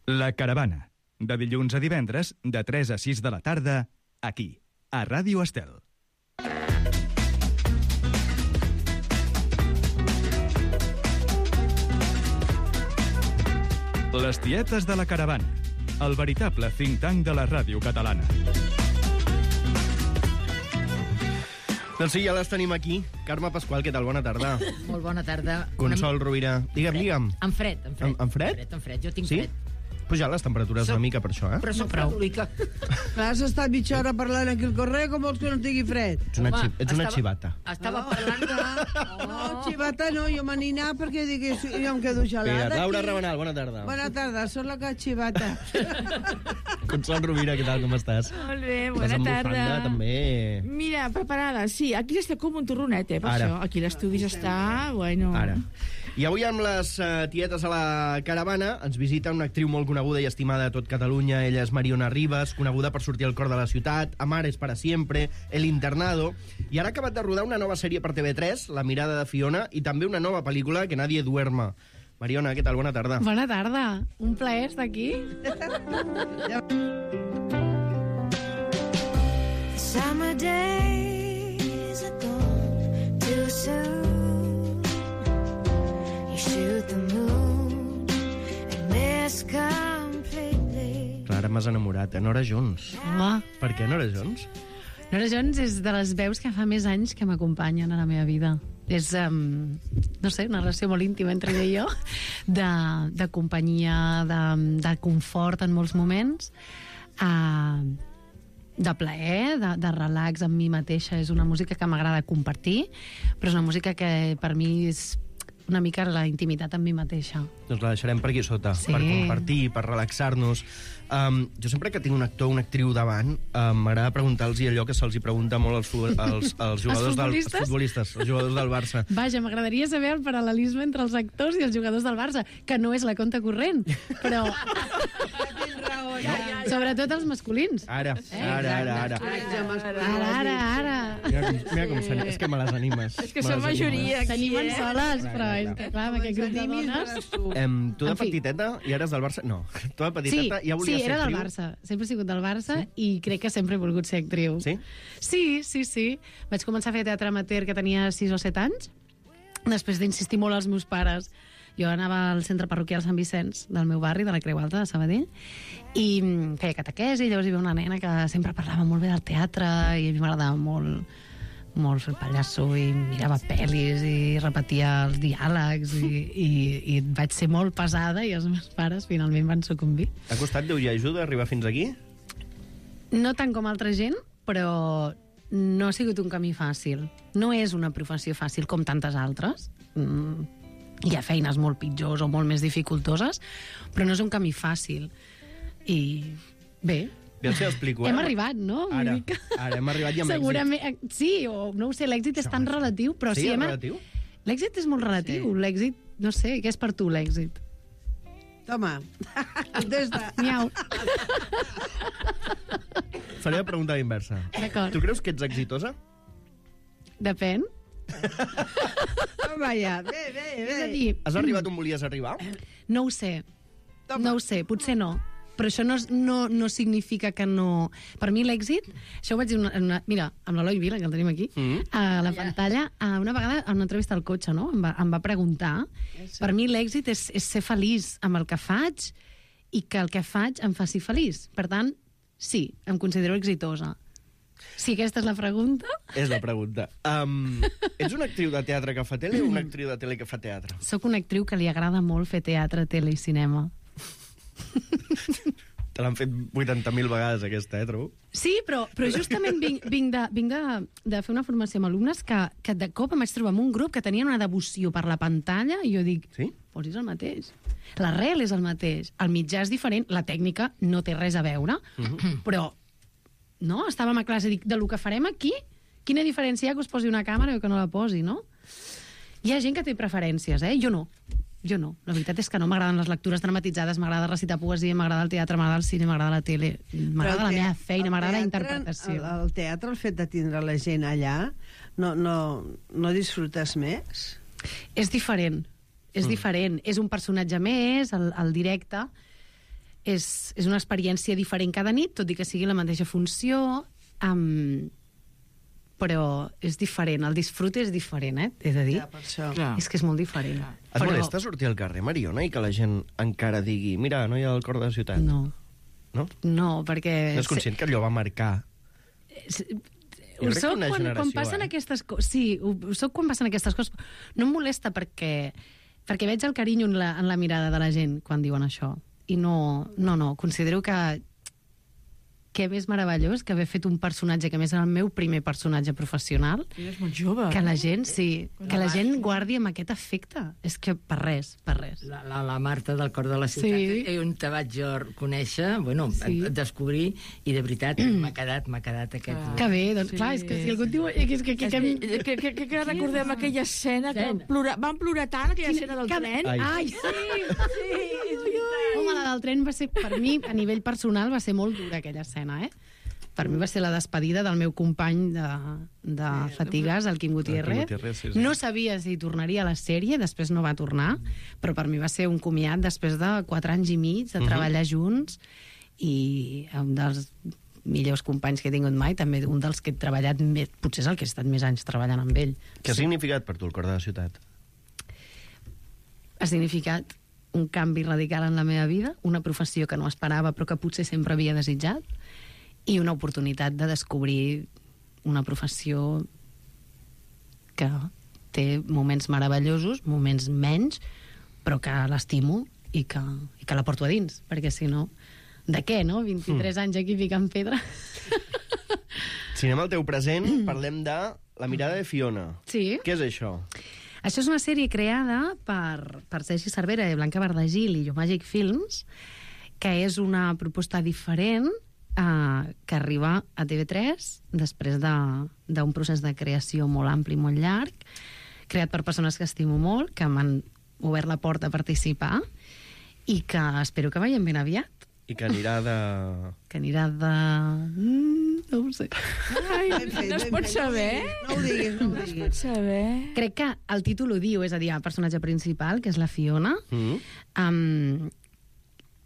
La Caravana, de dilluns a divendres, de 3 a 6 de la tarda, aquí, a Ràdio Estel. Les tietes de la Caravana, el veritable think tank de la ràdio catalana. Doncs sí, ja les tenim aquí. Carme Pasqual, què tal? Bona tarda. Molt bona tarda. Consol Rovira. Digue'm. Amb fred. Amb fred? Amb fred, jo tinc Sí? fred. Pujar les temperatures una mica per això, eh? Però soc prou. Clar, has estat mitja hora parlant aquí al carrer, com vols que no tingui fred? Ets una xivata. Estava parlant de... No, xivata no, jo me n'hi anava perquè dic, jo em quedo gelada. Mira, Laura aquí. Rabanal, bona tarda. Bona tarda, sóc la que xivata. Consol Rovira, què tal, com estàs? Molt bé, Estàs bona amb tarda. bufanda, també. Mira, preparada, sí. Aquí està com un torronet, per Ara. això. Aquí l'estudi està, bueno... Ara. I avui amb les tietes a la caravana ens visita una actriu molt coneguda i estimada a tot Catalunya. Ella és Mariona Rivas, coneguda per sortir al cor de la ciutat, Amares para siempre, El internado, i ara ha acabat de rodar una nova sèrie per TV3, La mirada de Fiona, i també una nova pel·lícula, Que nadie duerma. Mariona, què tal? Bona tarda. Bona tarda. Un plaer estar aquí. Summer days are gone too soon. You shoot the moon and miss completely. Clara, m'has enamorat. Nora Jones. Home, Per què Nora Jones? Nora Jones és de les veus que fa més anys que m'acompanyen a la meva vida. És, no sé, una relació molt íntima entre ella i jo, de companyia, de confort en molts moments, de plaer, de relax amb mi mateixa. És una música que m'agrada compartir, però és una música que per mi és una mica la intimitat amb mi mateixa. Doncs la deixarem per aquí sota, Sí. per compartir, per relaxar-nos. Jo sempre que tinc un actor o una actriu davant, m'agrada preguntar-los allò que se'ls hi pregunta molt als jugadors futbolistes? als futbolistes, als jugadors del Barça. Vaja, m'agradaria saber el paral·lelisme entre els actors i els jugadors del Barça, que no és la conta corrent, però... Sobretot els masculins. Ara. Ara. Mira com s'anima. És que me les animes. És que som majoria aquí, S'animen soles, però és que, clar, amb aquest grup de dones... Tu de En fi. petiteta i eres del Barça? No. Tu de petiteta ja volies ser era del actriu? Barça. Sempre he sigut del Barça i crec que sempre he volgut ser actriu. Sí? Sí. Vaig començar a fer teatre amateur que tenia 6 o 7 anys, després d'insistir molt als meus pares. Jo anava al centre parroquial Sant Vicenç del meu barri, de la Creu Alta, de Sabadell, i feia catequesi, i llavors hi havia una nena que sempre parlava molt bé del teatre, i a mi m'agradava molt fer el pallasso, i mirava pel·lis, i repetia els diàlegs, i vaig ser molt pesada, i els meus pares finalment van sucumbir. T'ha costat Déu i ajuda arribar fins aquí? No tant com altra gent, però no ha sigut un camí fàcil. No és una professió fàcil com tantes altres. Hi ha feines molt pitjors o molt més dificultoses, però no és un camí fàcil. I bé, Ja els explico. hem arribat, no? Vull Ara dir que... hem arribat i amb Segurament, sí, o no ho sé, l'èxit és tan relatiu, però Sí, sí, és relatiu? L'èxit és molt relatiu. Sí. L'èxit, no sé, què és per tu l'èxit? Toma, contesta. Miau. Faré la pregunta inversa. D'acord. Tu creus que ets exitosa? Depèn. Toma ja, bé. És a dir, Has arribat on volies arribar? no ho sé. No ho sé, potser no. Però això no significa que no... Per mi l'èxit... Això ho vaig dir mira, amb l'Eloi Vila, que el tenim aquí, a la pantalla, una vegada en una entrevista al cotxe, no? Em va preguntar. Per mi l'èxit és ser feliç amb el que faig i que el que faig em faci feliç. Per tant, sí, em considero exitosa. Sí, aquesta és la pregunta? És la pregunta. Ets una actriu de teatre que fa tele o una actriu de tele que fa teatre? Soc una actriu que li agrada molt fer teatre, tele i cinema. Te l'han fet 80.000 vegades, aquesta, trobo? Sí, però justament vinc de fer una formació amb alumnes que de cop em vaig trobar amb un grup que tenien una devoció per la pantalla i jo dic, Sí? doncs és el mateix. L'arrel és el mateix. El mitjà és diferent, la tècnica no té res a veure, però no, estàvem a classe, dic, de lo que farem aquí, quina diferència hi ha que us posi una càmera o que no la posi, no? Hi ha gent que té preferències, Jo no. La veritat és que no m'agraden les lectures dramatitzades, m'agrada recitar poesia, m'agrada el teatre, m'agrada el cine, m'agrada la tele, m'agrada la meva feina, m'agrada la interpretació. El teatre, el fet de tindre la gent allà, no disfrutes més? És diferent. És diferent. És un personatge més, el directe, és una experiència diferent cada nit, tot i que sigui la mateixa funció, però és diferent, el disfrute és diferent, he de dir. Ja, per això. Clar. És que és molt diferent. Et molesta sortir al carrer, Mariona, i que la gent encara digui mira, no hi ha el cor de la ciutat? No, perquè... No és conscient que allò va marcar? Ho crec que soc una quan generació, passen aquestes coses. Sí, ho soc quan passen aquestes coses. No em molesta perquè veig el carinyo en la mirada de la gent quan diuen això. I no, considero que què més meravellós que haver fet un personatge que a més era el meu primer personatge professional, És molt jove. que la gent, que la gent guardi amb aquest efecte. És que per res. La Marta del Cor de la Ciutat, Sí. on te vaig jo conèixer, Sí. descobrir, i de veritat m'ha quedat aquest... Que bé, doncs clar, és que si algú diu... Que recordem aquella escena que van plorar tant, aquella escena del tren. Ai, sí! Home, la del tren va ser, per mi, a nivell personal, va ser molt dura aquella escena, Per mi va ser la despedida del meu company de Fatigues, el Quim Gutiérrez. Sí. No sabia si tornaria a la sèrie, després no va tornar, però per mi va ser un comiat després de 4 anys i mig de treballar junts, i un dels millors companys que he tingut mai, també un dels que he treballat més, potser és el que he estat més anys treballant amb ell. Què ha significat per tu el cor de la ciutat? Ha significat un canvi radical en la meva vida, una professió que no esperava però que potser sempre havia desitjat, i una oportunitat de descobrir una professió que té moments meravellosos, moments menys, però que l'estimo i que la porto a dins, perquè si no, de què, no? 23 anys aquí ficant pedra. Si anem al teu present, parlem de La mirada de Fiona. Sí. Què és això? Això és una sèrie creada per Sergi Cervera i Blanca Bardagil i Magic Films, que és una proposta diferent que arriba a TV3 després d'un procés de creació molt ampli, molt llarg, creat per persones que estimo molt, que m'han obert la porta a participar i que espero que veiem ben aviat. I que anirà de... Que anirà de... no ho sé. Ai, no es pot saber. No ho diguis, no ho Es diguis. pot saber. Crec que el títol ho diu, és a dir, el personatge principal, que és la Fiona,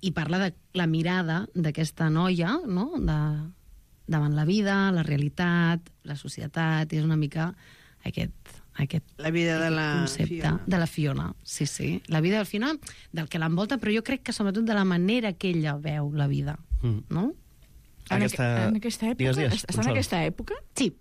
i parla de la mirada d'aquesta noia, no?, davant la vida, la realitat, la societat, és una mica aquest La vida de la concepte Fiona. de la Fiona, sí. La vida al final, del que l'envolta, però jo crec que sobretot de la manera que ella veu la vida, no? En aquesta època? Digues, Està en aquesta època? Sí,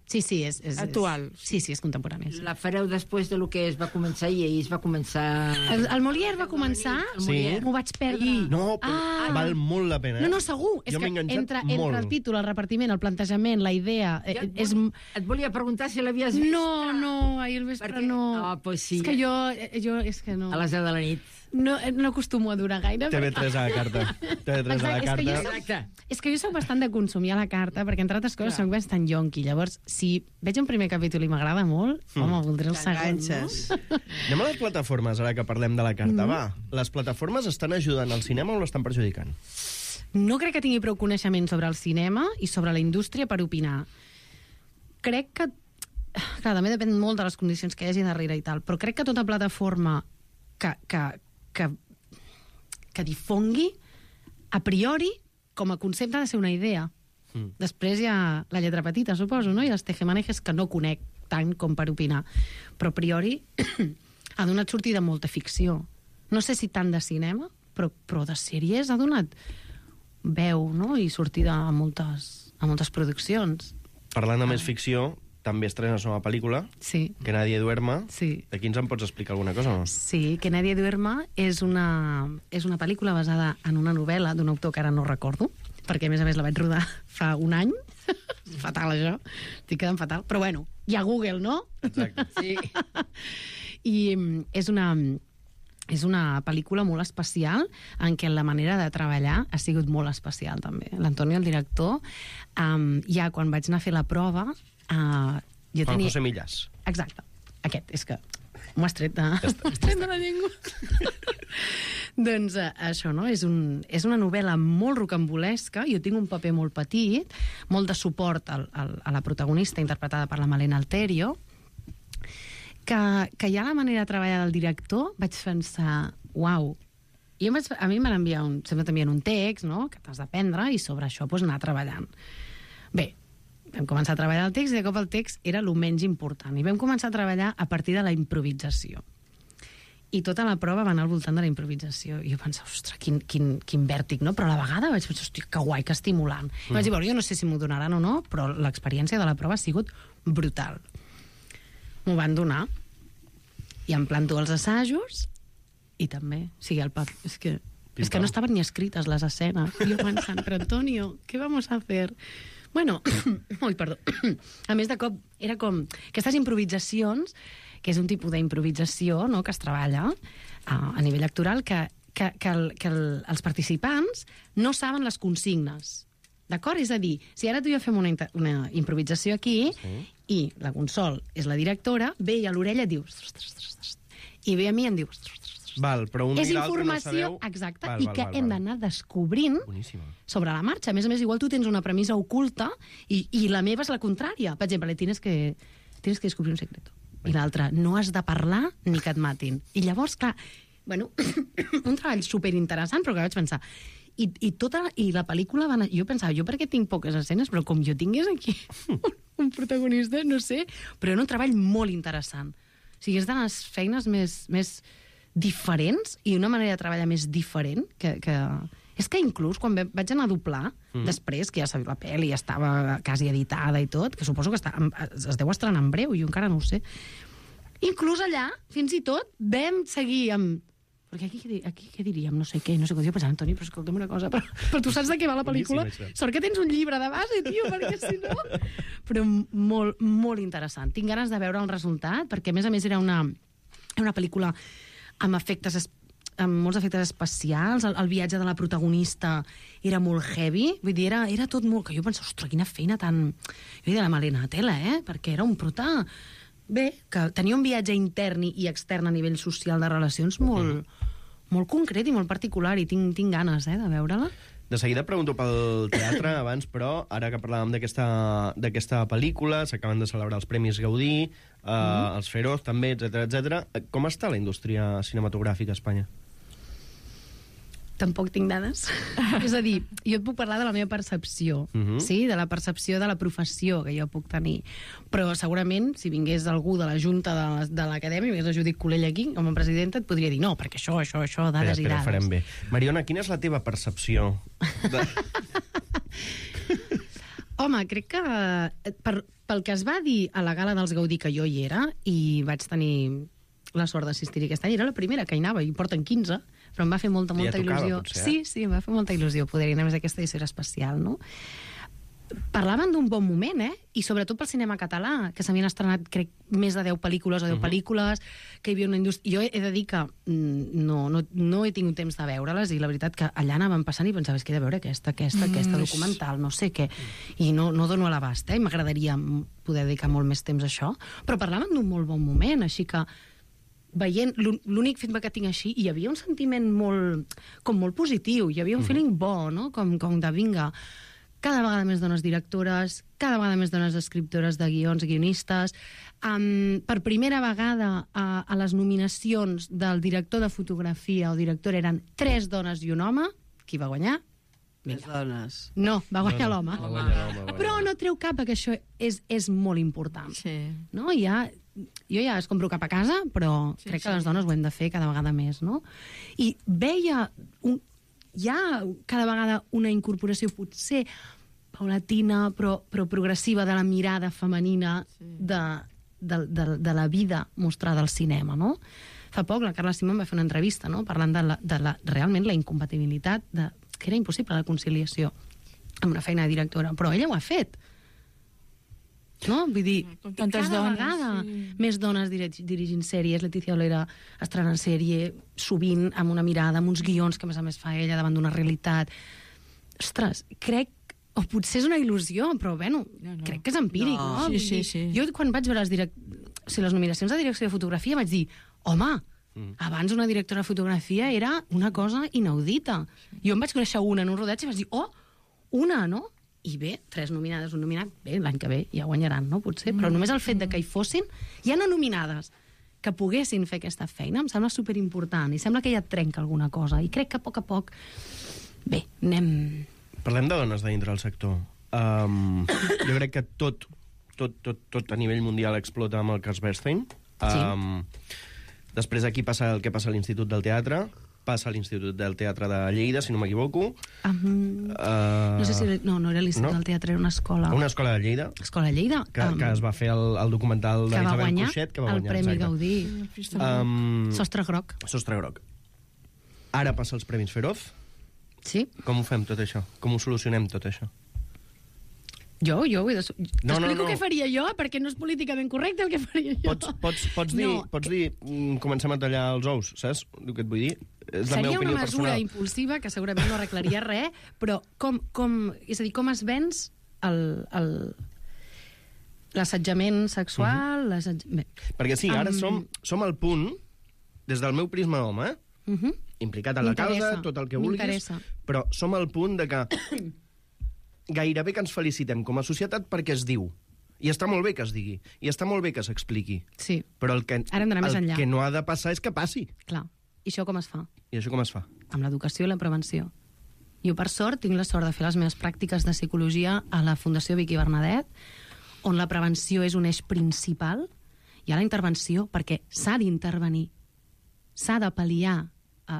és Actual. Sí, és contemporani. Sí. La fareu després de lo que es va començar i ahir es va començar... El Molière va començar, Sí. m'ho vaig perdre. No, però val molt la pena. No, segur. És Jo que m'he enganxat entre molt. el títol, el repartiment, el plantejament, la idea... és... Et volia preguntar si l'havies vist. No, ahir al vespre Perquè- no. Pues sí. És que jo és que no. A les 10 de la nit. No acostumo a durar gaire. TV3 a la carta. TV3 a la carta. Exacte. És que jo soc bastant de consumir a la carta, perquè entre altres coses soc bastant yonqui. Llavors, si veig un primer capítol i m'agrada molt, home, voldré el segon, no? T'enganxes. Anem a les plataformes, ara que parlem de la carta. Va, les plataformes estan ajudant al cinema o l'estan perjudicant? No crec que tingui prou coneixement sobre el cinema i sobre la indústria per opinar. Crec que... Clar, també depèn molt de les condicions que hi hagi darrere i tal, però crec que tota plataforma que difongui, a priori, com a concepte ha de ser una idea. Després hi ha la lletra petita, suposo, no? I els tejemanejes que no conec tant com per opinar. Però a priori ha donat sortida molta ficció. No sé si tant de cinema, però de sèries ha donat veu, no?, i sortida a moltes produccions. Parlant de més ficció, també estrenes una pel·lícula, Sí, Que nadie duerma. sí. Aquí ens en pots explicar alguna cosa o no? Sí, Que nadie duerma és una pel·lícula basada en una novel·la d'un autor que ara no recordo, perquè a més la vaig rodar fa un any. Fatal, això. Estic quedant fatal. Però bueno, hi ha Google, no? Exacte. Sí. I és una pel·lícula molt especial en què la manera de treballar ha sigut molt especial, també. L'Antonio, el director, ja quan vaig anar a fer la prova... jo Juan tenia... José Millas. Exacte. Aquest, és que m'ho has tret de la llengua. Doncs això, no? És una novel·la molt rocambolesca. Jo tinc un paper molt petit, molt de suport a la protagonista, interpretada per la Malena Alterio, que ja la manera de treballar del director vaig pensar, uau, I a mi m'han enviat sempre t'envien un text, no?, que t'has d'aprendre, i sobre això doncs, anar treballant. Bé, vam començar a treballar el text i de cop el text era el menys important. I vam començar a treballar a partir de la improvisació. I tota la prova va anar al voltant de la improvisació. I jo pensava, ostres, quin vèrtic, no? Però a la vegada vaig pensar, hòstia, que guai, que estimulant. I vaig dir, bueno, jo no sé si m'ho donaran o no, però l'experiència de la prova ha sigut brutal. M'ho van donar. I em planto els assajos i també, o sigui, és que no estaven ni escrites les escenes. I jo pensant, però Antonio, ¿qué vamos a hacer? Bueno, ui, perdó. A més, de cop, era com aquestes improvisacions, que és un tipus d'improvisació, no?, que es treballa a nivell actoral, que els participants no saben les consignes. D'acord? És a dir, si ara tu i jo fem una improvisació aquí, i la Consol és la directora, ve i a l'orella et diu... I ve a mi i em diu... Val, però un és i l'altre no informació, sabeu... exacte, i que hem d'anar descobrint sobre la marxa. A més, igual tu tens una premissa oculta i la meva és la contrària. Per exemple, tienes que descobrir un secreto. I l'altra, no has de parlar ni que et matin. I llavors, clar, bueno, un treball superinteressant, però que vaig pensar... I la pel·lícula va anar... Jo pensava, jo perquè tinc poques escenes, però com jo tingués aquí un protagonista, no sé, però era un treball molt interessant. O sigui, és de les feines més diferents i una manera de treballar més diferent que... És que inclús quan vaig anar a doblar, després, que ja sabia la pel·li, ja estava quasi editada i tot, que suposo que es deu estrenar en breu, jo encara no ho sé. Inclús allà, fins i tot, vam seguir amb... Perquè aquí què diríem? No sé què. Jo pensava, Antoni, però escolta'm una cosa, però tu saps de què va la pel·lícula? Sort que tens un llibre de base, tio, perquè si no... Però molt, molt interessant. Tinc ganes de veure el resultat, perquè a més era una pel·lícula amb molts efectes especials, el viatge de la protagonista era molt heavy, vull dir, era tot molt... Que jo pensava, ostres, quina feina tan... Jo diria la Malena Tela, perquè era un prota... Bé, que tenia un viatge intern i extern a nivell social de relacions molt concret i molt particular, i tinc ganes de veure-la. De seguida pregunto pel teatre abans, però ara que parlàvem d'aquesta pel·lícula, s'acaben de celebrar els Premis Gaudí, els Feroz també, etc. Com està la indústria cinematogràfica a Espanya? Tampoc tinc dades. És a dir, jo et puc parlar de la meva percepció, sí? De la percepció de la professió que jo puc tenir. Però segurament, si vingués algú de la Junta de l'Acadèmia, vingués la Judit Colell aquí, com a presidenta, et podria dir no, perquè això, dades i dades. Farem bé. Mariona, quina és la teva percepció? Home, crec que pel que es va dir a la gala dels Gaudí, que jo hi era, i vaig tenir la sort d'assistir aquest any, era la primera que hi anava, i porten 15, però em va fer molta il·lusió. Potser, sí, em va fer molta il·lusió poder anar a aquesta edició especial, no? Parlaven d'un bon moment, i sobretot pel cinema català, que s'havien estrenat, crec, més de 10 pel·lícules o 10 pel·lícules, que hi havia una indústria... Jo he de dir que no he tingut temps de veure-les, i la veritat que allà anàvem passant i pensava, és que he de veure aquesta documental, no sé què, i no dono a l'abast, i m'agradaria poder dedicar molt més temps a això, però parlaven d'un molt bon moment, així que veient, l'únic feedback que tinc així, hi havia un sentiment molt positiu, hi havia un feeling bo, no? Com de vinga, cada vegada més dones directores, cada vegada més dones escriptores de guions, guionistes. Per primera vegada a les nominacions del director de fotografia o directora eren 3 dones i un home. Qui va guanyar? Les dones. No, va guanyar l'home. Però no treu cap, perquè això és molt important. Sí. No? Jo ja es compro cap a casa, però crec que les dones ho hem de fer cada vegada més, no? I veia hi ha cada vegada una incorporació potser paulatina però progressiva de la mirada femenina de la vida mostrada al cinema, no? Fa poc la Carla Simón va fer una entrevista, no?, parlant de realment la incompatibilitat, que era impossible la conciliació amb una feina de directora, però ella ho ha fet. No? Vull dir, cada vegada més dones dirigint sèries. Letícia Olera estrenant sèrie, sovint amb una mirada, amb uns guions que a més fa ella davant d'una realitat. Ostres, crec, o potser és una il·lusió, però bueno, crec que és empíric, no? Sí. Jo quan vaig veure les nominacions de direcció de fotografia vaig dir, home, abans una directora de fotografia era una cosa inaudita. Jo em vaig conèixer una en un rodatge i vaig dir, una, no? I bé, 3 nominades, un nominat, bé, l'any que ve ja guanyaran, no? Potser, però només el fet de que hi fossin, ja no nominades, que poguessin fer aquesta feina, em sembla superimportant, i sembla que ja et trenca alguna cosa, i crec que a poc... Bé, anem... Parlem de dones de dintre del sector. Jo crec que tot a nivell mundial explota amb el cas Bernstein. Després aquí passa el que passa a l'Institut del Teatre, passa a l'Institut del Teatre de Lleida, si no m'equivoco. No sé si... No era l'Institut del Teatre, era una escola. Una escola de Lleida. Escola de Lleida. Que es va fer el documental d'Isabel Cuixet, que va guanyar el Premi Gaudí. Sostre groc. Sostre groc. Ara passa els Premis Feroz. Sí. Com ho fem, tot això? Com ho solucionem, tot això? Jo ho he de... T'explico no. què faria jo, perquè no és políticament correcte el que faria jo. Pots dir, comencem a tallar els ous, saps el que et vull dir? És la meva opinió personal. Seria una mesura impulsiva, que segurament no arreglaria res, però és a dir, com es venç l'assetjament sexual... Perquè sí, ara som al punt, des del meu prisma home, implicat en la causa, tot el que vulguis, però som al punt de que gairebé que ens felicitem com a societat perquè es diu. I està molt bé que es digui. I està molt bé que s'expliqui. Sí. Però el que no ha de passar és que passi. Clar. I això com es fa? I això com es fa? Amb l'educació i la prevenció. Jo, per sort, tinc la sort de fer les meves pràctiques de psicologia a la Fundació Vicky Bernadet, on la prevenció és un eix principal, i a la intervenció, perquè s'ha d'intervenir. S'ha de pal·liar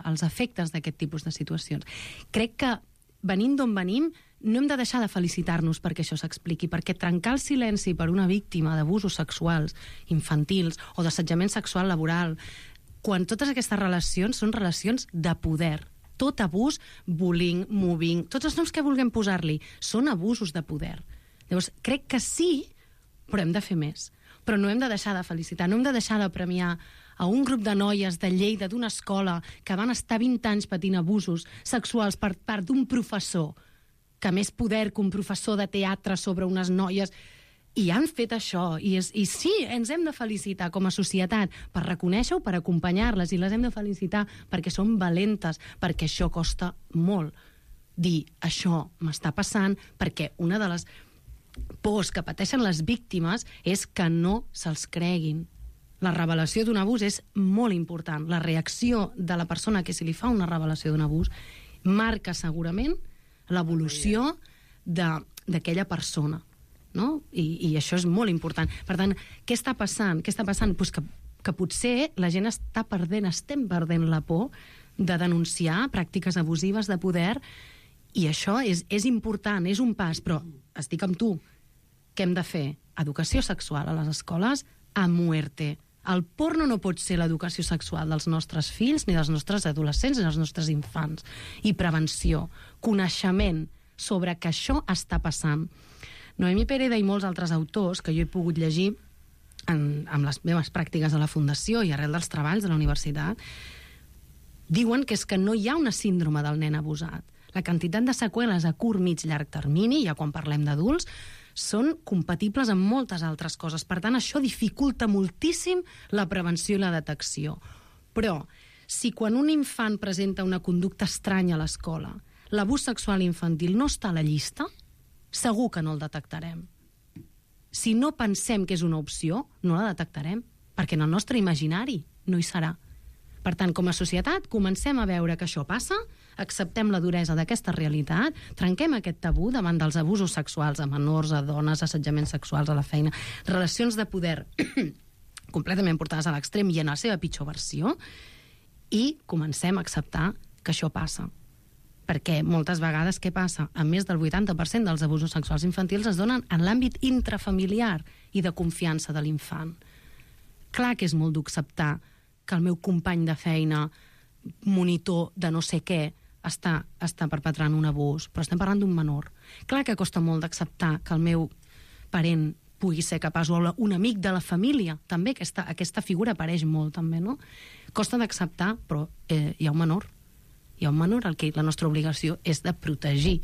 els efectes d'aquest tipus de situacions. Crec que, venint d'on venim, no hem de deixar de felicitar-nos perquè això s'expliqui, perquè trencar el silenci per una víctima d'abusos sexuals infantils o d'assetjament sexual laboral, quan totes aquestes relacions són relacions de poder. Tot abús, bullying, mobbing, tots els noms que vulguem posar-li, són abusos de poder. Llavors, crec que sí, però hem de fer més. Però no hem de deixar de felicitar, no hem de deixar de premiar a un grup de noies de Lleida, d'una escola, que van estar 20 anys patint abusos sexuals per part d'un professor, que més poder que un professor de teatre sobre unes noies, i han fet això, i sí, ens hem de felicitar com a societat per reconèixer-ho, per acompanyar-les, i les hem de felicitar perquè són valentes, perquè això costa molt. Dir, això m'està passant, perquè una de les pors que pateixen les víctimes és que no se'ls creguin. La revelació d'un abús és molt important. La reacció de la persona que se li fa una revelació d'un abús marca segurament l'evolució d'aquella persona, no? I això és molt important. Per tant, què està passant? Pues que potser la gent estem perdent la por de denunciar pràctiques abusives de poder, i això és important, és un pas, però estic amb tu. Què hem de fer? Educació sexual a les escoles a muerte. El porno no pot ser l'educació sexual dels nostres fills, ni dels nostres adolescents, ni dels nostres infants. I prevenció, coneixement sobre que això està passant. Noemí Pereda i molts altres autors que jo he pogut llegir amb les meves pràctiques a la Fundació i arrel dels treballs de la universitat, diuen que és que no hi ha una síndrome del nen abusat. La quantitat de seqüeles a curt, mig, llarg termini, ja quan parlem d'adults, són compatibles amb moltes altres coses. Per tant, això dificulta moltíssim la prevenció i la detecció. Però, si quan un infant presenta una conducta estranya a l'escola, l'abús sexual infantil no està a la llista, segur que no el detectarem. Si no pensem que és una opció, no la detectarem, perquè en el nostre imaginari no hi serà. Per tant, com a societat, comencem a veure que això passa, acceptem la duresa d'aquesta realitat, trenquem aquest tabú davant dels abusos sexuals a menors, a dones, assetjaments sexuals a la feina, relacions de poder completament portades a l'extrem i en la seva pitjor versió, i comencem a acceptar que això passa. Perquè moltes vegades què passa? A més del 80% dels abusos sexuals infantils es donen en l'àmbit intrafamiliar i de confiança de l'infant. Clar que és molt d'acceptar que el meu company de feina, monitor de no sé què, està perpetrant un abús, però estem parlant d'un menor. Clar que costa molt d'acceptar que el meu parent pugui ser capaç, o un amic de la família, també, aquesta figura apareix molt, també, no? Costa d'acceptar, però hi ha un menor. Hi ha un menor al que la nostra obligació és de protegir.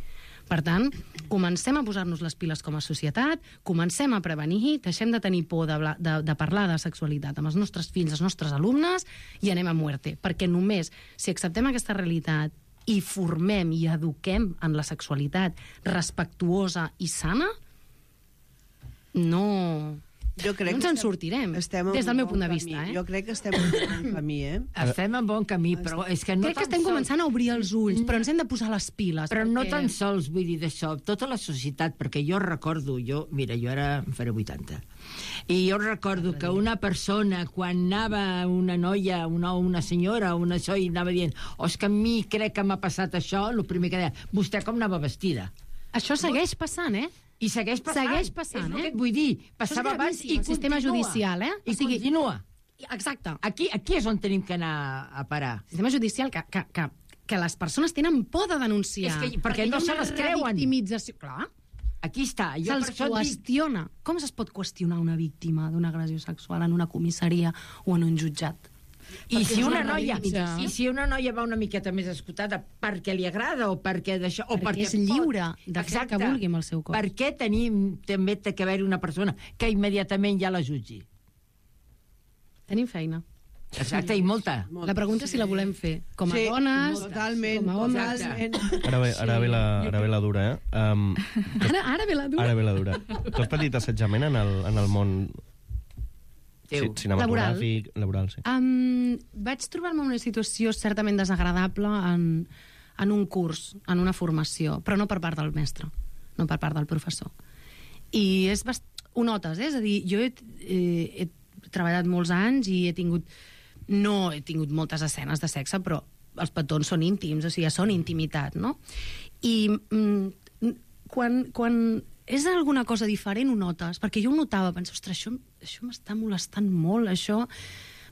Per tant, comencem a posar-nos les piles com a societat, comencem a prevenir, deixem de tenir por de parlar de sexualitat amb els nostres fills, els nostres alumnes, i anem a muerte. Perquè només si acceptem aquesta realitat i formem i eduquem en la sexualitat respectuosa i sana, no Jo crec no ens en sortirem, estem en des del meu un punt de bon vista. camí. Jo crec que estem en un bon camí, Estem en bon camí, però és que no Crec que tan estem sols- començant a obrir els ulls, però ens hem de posar les piles. Però no perquè- tan sols, vull dir, d'això, tota la societat, perquè jo recordo, mira, jo ara em faré 80, i jo recordo que una persona, quan anava una noia, una senyora, una això, i anava dient, és que a mi crec que m'ha passat això, el primer que deia, vostè com anava vestida? Això segueix passant, eh? I segueix passant. Segueix passant, és el eh? que et vull dir. Això és Passava abans i gravíssim, el sistema continua. judicial, eh? I continua. Exacte. Aquí és on tenim que anar a parar. El sistema judicial que les persones tenen por de denunciar. És que- perquè no hi ha se una les creuen. Victimització. Clar, Aquí està. Jo per se'ls això et dic, qüestiona. Com es pot qüestionar una víctima d'una agressió sexual en una comissaria o en un jutjat? I Perquè si és una una noia, victimització. i si una noia va una miqueta més escotada perquè li agrada o perquè d'això o Perquè perquè és lliure de fer el que vulgui amb el seu cos. Per què tenim també té que haver-hi una persona que immediatament ja la jutgi? Tenim feina. Exacte, i molta. La pregunta és si la volem fer com a Sí, dones, totalment, com a homes... totalment. Ara ve la dura, eh? Ara ve la dura. Ara ve la dura. Tu has patit assetjament en el món cinematogràfic, laboral, sí. Vaig trobar-me en una situació certament desagradable en un curs, en una formació, però no per part del mestre, no per part del professor. I ho notes, eh? És a dir, jo he treballat molts anys i no he tingut moltes escenes de sexe, però els petons són íntims, o sigui, són intimitat, no? I quan és alguna cosa diferent ho notes, perquè jo ho notava, penso, ostres, això m'està molestant molt, això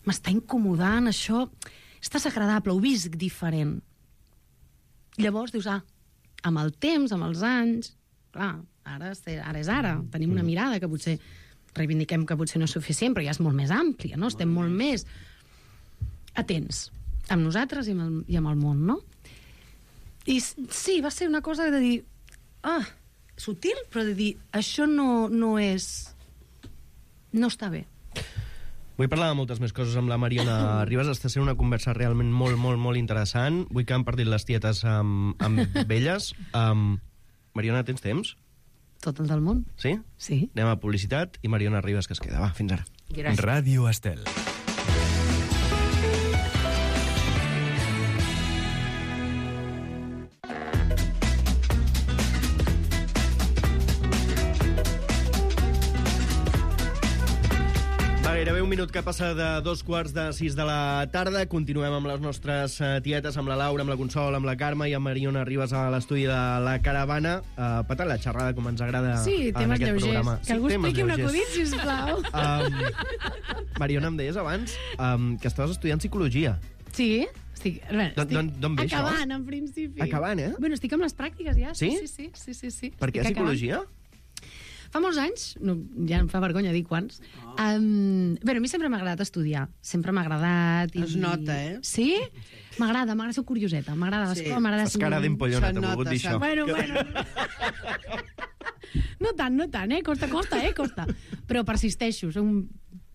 m'està incomodant, això és desagradable, ho visc diferent. Llavors dius, amb el temps, amb els anys, clar, ara és ara, tenim una mirada que potser reivindiquem que potser no és suficient, però ja és molt més àmplia, no? Estem molt més atents amb nosaltres i amb el món, no? I sí, va ser una cosa de dir, sutil, però de dir, això no és... no està bé. Vull parlar de moltes més coses amb la Mariona Ribas. Està sent una conversa realment molt, molt, molt interessant. Vull que han partit les tietes amb elles. Mariona, tens temps? Tot el del món. Sí? Sí. Anem a publicitat i Mariona Ribas que es queda. Va, fins ara. Gràcies. Ràdio Estel. Gairebé un minut que passa de 2:45 de la tarda. Continuem amb les nostres tietes, amb la Laura, amb la Consol, amb la Carme i amb Mariona Ribas a l'estudi de la Caravana. Patant la xerrada com ens agrada Sí, en temes aquest lleugers. programa. Que algú temes expliqui un lleugers. acudit, sisplau. Mariona, em deies abans que estaves estudiant psicologia. Sí, estic D'on ve això? Acabant, en principi. Acabant, eh? Bueno, estic amb les pràctiques ja. Sí? Sí. Per què Estic acabant. psicologia? Fa molts anys, ja em fa vergonya dir quants, a mi sempre m'ha agradat estudiar. Sempre m'ha agradat. Es nota, eh? Sí? M'agrada, soc curioseta. M'agrada l'escola, m'agrada... Fas cara d'impollona, Se'n t'he volgut nota, dir això. Bueno. No tant, Costa, costa. Però persisteixo,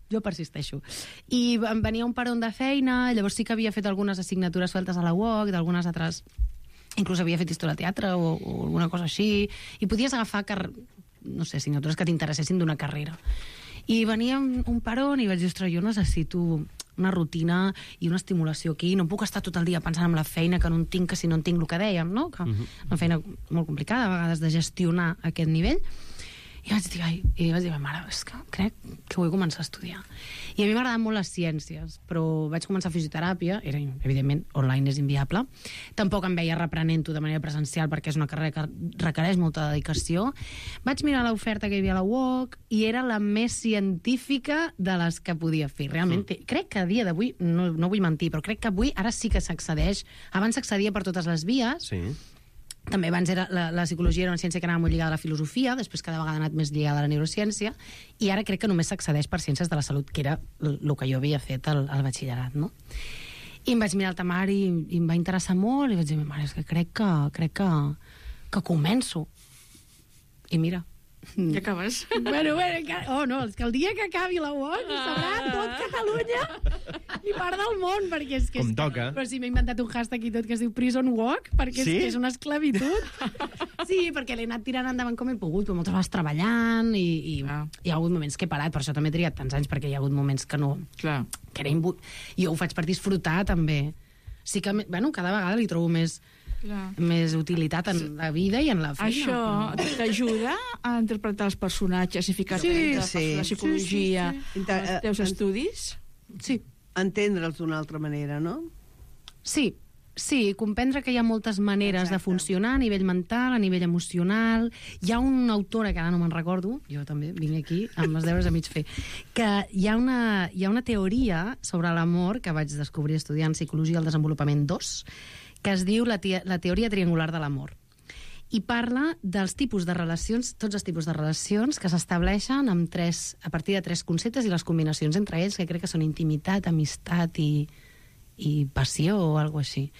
jo persisteixo. I em venia un parón de feina, llavors sí que havia fet algunes assignatures sueltes a la UOC, d'algunes altres... Inclús havia fet història de teatre o alguna cosa així, i podies agafar no sé, assignatures que t'interessessin d'una carrera. I venia un parón i vaig dir, ostres, jo necessito una rutina i una estimulació aquí, no puc estar tot el dia pensant en la feina que no en tinc, que si no en tinc el que dèiem, no? Que una feina molt complicada, a vegades, de gestionar aquest nivell. I vaig dir, mare, és que crec que vull començar a estudiar. I a mi m'agraden molt les ciències, però vaig començar fisioteràpia, evidentment, online és inviable. Tampoc em veia reprenent-ho de manera presencial perquè és una carrera que requereix molta dedicació. Vaig mirar l'oferta que hi havia a la UOC i era la més científica de les que podia fer. Realment, crec que a dia d'avui, no vull mentir, però crec que avui ara sí que s'accedeix. Abans s'accedia per totes les vies. Sí. També abans la psicologia era una ciència que anava molt lligada a la filosofia, després cada vegada ha anat més lligada a la neurociència, i ara crec que només s'accedeix per ciències de la salut, que era el que jo havia fet al batxillerat, no? I em vaig mirar el temari i em va interessar molt, i vaig dir, mare, és que crec que començo. I mira... Ja acabes. Bueno, és que el dia que acabi la UOC sabrà tot Catalunya i part del món, perquè és que... Com toca. Però sí, m'he inventat un hashtag i tot que es diu Prison Walk, perquè Sí? és una esclavitud. Sí, perquè l'he anat tirant endavant com he pogut, però moltes vegades treballant i hi ha hagut moments que he parat, per això també he trigat tants anys, perquè hi ha hagut moments que no... Clar. Que era jo ho faig per disfrutar, també. Sí que, bueno, cada vegada li trobo més utilitat en la vida i en la feina. Això t'ajuda a interpretar els personatges i ficar-te la psicologia als teus estudis? Sí. Entendre'ls d'una altra manera, no? Sí, comprendre que hi ha moltes maneres de funcionar a nivell mental, a nivell emocional. Hi ha una autora, que ara no me'n recordo, jo també vinc aquí amb els deures a mig fer, que hi ha una teoria sobre l'amor que vaig descobrir estudiant Psicologia del Desenvolupament 2, que es diu la teoria triangular de l'amor. I parla dels tipus de relacions, tots els tipus de relacions que s'estableixen a partir de 3 conceptes i les combinacions entre ells, que crec que són intimitat, amistat i passió o alguna cosa així.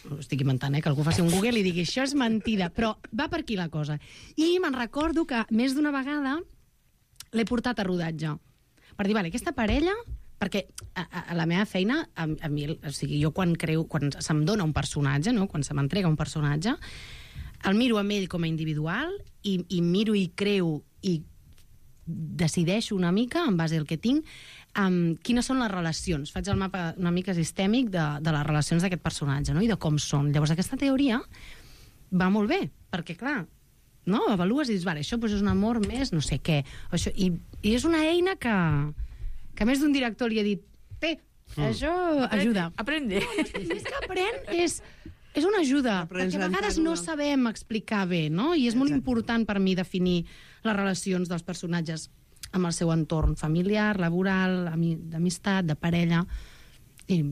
Ho estic inventant, que algú faci un Google i digui això és mentida, però va per aquí la cosa. I me'n recordo que més d'una vegada l'he portat a rodatge. Per dir, vale, aquesta parella... Perquè a la meva feina, a mi, o sigui, jo quan se'm dona un personatge, no? Quan se m'entrega un personatge, el miro amb ell com a individual i miro i creo i decideixo una mica, en base al que tinc, quines són les relacions. Faig el mapa una mica sistèmic de les relacions d'aquest personatge, no? I de com són. Llavors, aquesta teoria va molt bé, perquè, clar, no? Avalues i dius, vale, això és un amor més no sé què. Això, i és una eina que més d'un director li ha dit això ajuda. Aprende. És que és una ajuda, perquè a vegades no sabem explicar bé, no? I és molt important per mi definir les relacions dels personatges amb el seu entorn familiar, laboral, d'amistat, de parella, i